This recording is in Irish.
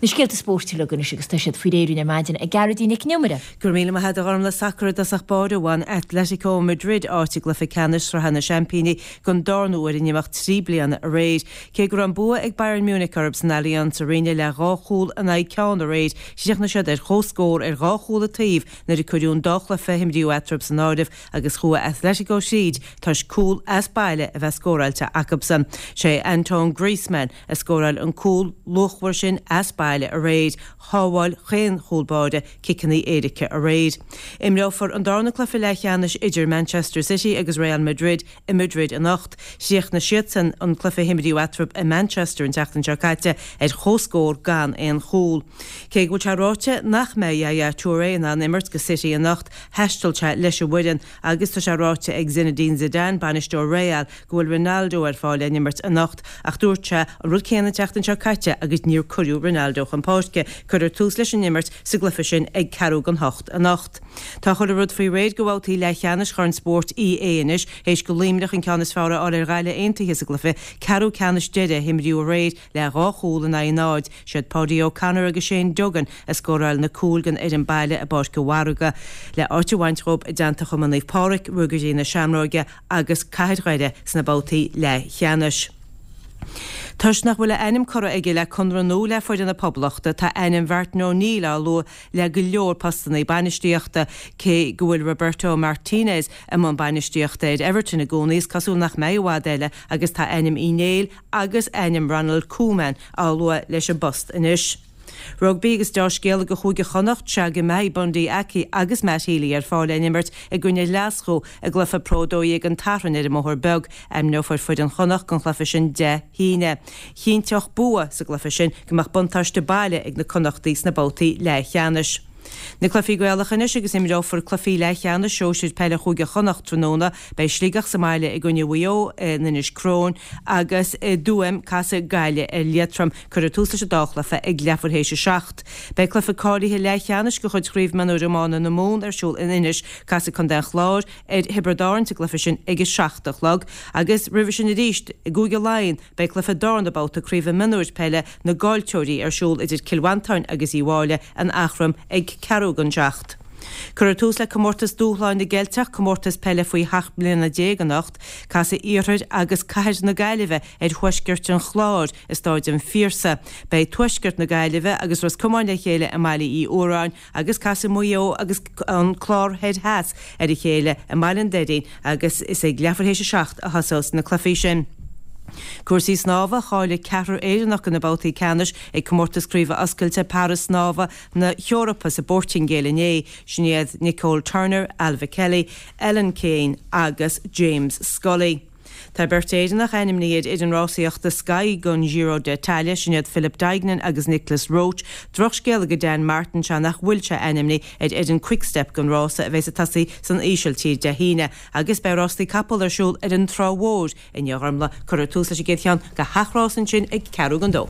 Na scéalta spóirt uilig anois agus tá siad faoi réir ar maidin ag Gearóidín Nic an Iomaire. Go raibh míle maith agat a Ghormlaith. Sacar i dtosach báire, bhain Atletico Madrid áit i gcluiche ceannais Sraithe na Seaimpíní don darna huair in imeacht 3 bliana aréir. Cé go raibh an bua ag Bayern Munich orthu san Allianz Arena le dhá chúl in aghaidh ceann aréir, chríochnaigh siad ar comhscór ar dhá chúl an taobh nuair a cuireadh an dá chluiche a imríodh eatarthu san áireamh agus chuaigh Atletico thríd toisc cúl as baile a bheith scóráilte acubsan. Sé Antoine Griezmann a scóráil an cúl luachmhar sin as baile aréir, shábháil chaon chúl báire ciceanna éirice aréir. Imreofar an darna cluiche leathcheannais idir Manchester City agus Real Madrid i Madrid anocht. Chríochnaigh siadsan an cluiche a himríodh eatarthu i Manchester an tseachtain seo caite ar chomhscór gan aon chúl. Cé go bhfuil sé ráite nach mbeidh Yaya Touré in ann imirt do City anocht, thaistil sé leis an bhfoireann agus tá sé ráite ag Zinedine Zidane, bainisteoir Real, go bhfuil Ronaldo ar fáil le n-imirt anocht ach dúirt sé an rud céanna an tseachtain seo caite agus níor cuireadh Ronaldo chun páirce. Cuirfear tús leis an imirt sa gcluiche sin ag ceathrú don hocht anocht. Tá chuile rud faoi réir do bhabhtaí leathcheannais Chorn Spóirt EA anois théis do Luimneach an ceann is fearr a fháil ar Ghaillimh Aontaithe sa gcluiche ceathrú ceannais deiridh a himríodh aréir le dhá chúl in aghaidh náid. Siad Paudie O'Connor agus Shane Duggan a scóráil na cúil don fhoireann baile i bPáirc an Mhargaidh le áit a bhaint dhóibh i dteannta Chumann Naomh Pádraig, Ruagairí na Seamróige agus Cathair Dhoire sna babhtaí leathcheannais. Toisc nach bhfuil a ainm curtha aige le conradh nua le foireann na Poblachta, tá ainm Mhartin O'Neill á lua le go leor postanna bainistíochta. Cé go bhfuil Roberto Martinez i mbun bainistíochta ar Everton i gcónaí, is cosúil nach mbeidh i bhfad eile agus tá ainm Uí Néill agus ainm Ronald Koeman á lua leis an bpost anois. Rugbaí agus deá-scéala do Chúige Chonnacht sea go mbeidh Bundee Aki agus Matt Healy ar fáil le n-imirt i gcoinne Ghlaschú i gcluiche Pro 12 an tSathairn ar an mBóthar Beag. Ainmneofar foireann Chonnacht don chluiche sin Dé hAoine. Chinnteodh bua sa gcluiche sin go mbeadh buntáiste baile ag na Connachtaigh sna babhtaí leathcheannais. Na cluichí Gaelacha anois agus imreofar cluichí leathcheannais sóisir peile Chúige Chonnacht tráthnóna. Beidh Sligeach sa mbaile i gcoinne Mhaigh Eo in Inis Crobhinn agus i dTuaim casfaidh Gaillimh ar Liatroim. Cuirfear tús leis an dá chluiche ag leathuair théis a 7. Beidh cluiche cáilithe leathcheannais de chuid Chraobh Mionúir Iomána na Mumhan ar siúl in Inis. Casfaidh Contae an Chláir ar Thiobraid Árann sa gcluiche sin ag a 7 a chlog agus roimhe sin arís i gCúige Laighean beidh cluiche darna babhta Craoibhe Mionúir Peile na gCaillteoirí ar siúl idir Cill Mhantáin agus Uíbh Fhailí in Eachroim ag ceathrú don seacht. Cuirfear tús le Comórtas Dúshláin na gCeilteach, comórtas peile faoi sheacht mbliana déag anocht. Casfaidh Iarthar agus Cathair na Gaillimhe ar Thuaisceart an Chláir i Stáid an Phiarsaigh. Beidh Tuaisceart na Gaillimhe agus Ros Comáin le chéile i mBaile Uí Fhuaráin agus casfaidh Maigh Eo agus an Clár Thoir Theas ar a chéile i mBaile an Doirín agus is ag leathuair théis a 7 a thosós na cluichí sin. Cúrsaí snámha, Cháiligh ceathrar Éireannach do na babhtaí ceannais ag Comórtas Craoibhe Oscailte Para-Snámha na hEorpa sa bPortaingéil inné. Sin iad Nicole Turner, Ailbhe Kelly, Ellen Keane agus James Scully. Tá beirt Éireannach ainmnithe ar fhoireann rásaíochta Sky don Giro d'Italia, sin iad Philip Deignan agus Nicolas Roche. Drochscéala do Dan Martin sea nach bhfuil sé ainmnithe ar fhoireann Quick-Step don rása a bheas ag tosaí san Ísiltír Dé hAoine. Agus beidh rástaí capall ar siúl ar an Trá Mhór inniu, a Ghormlaith. Cuirfear tús leis an gcéad cheann de sheacht rás ansin ag ceathrú don dó.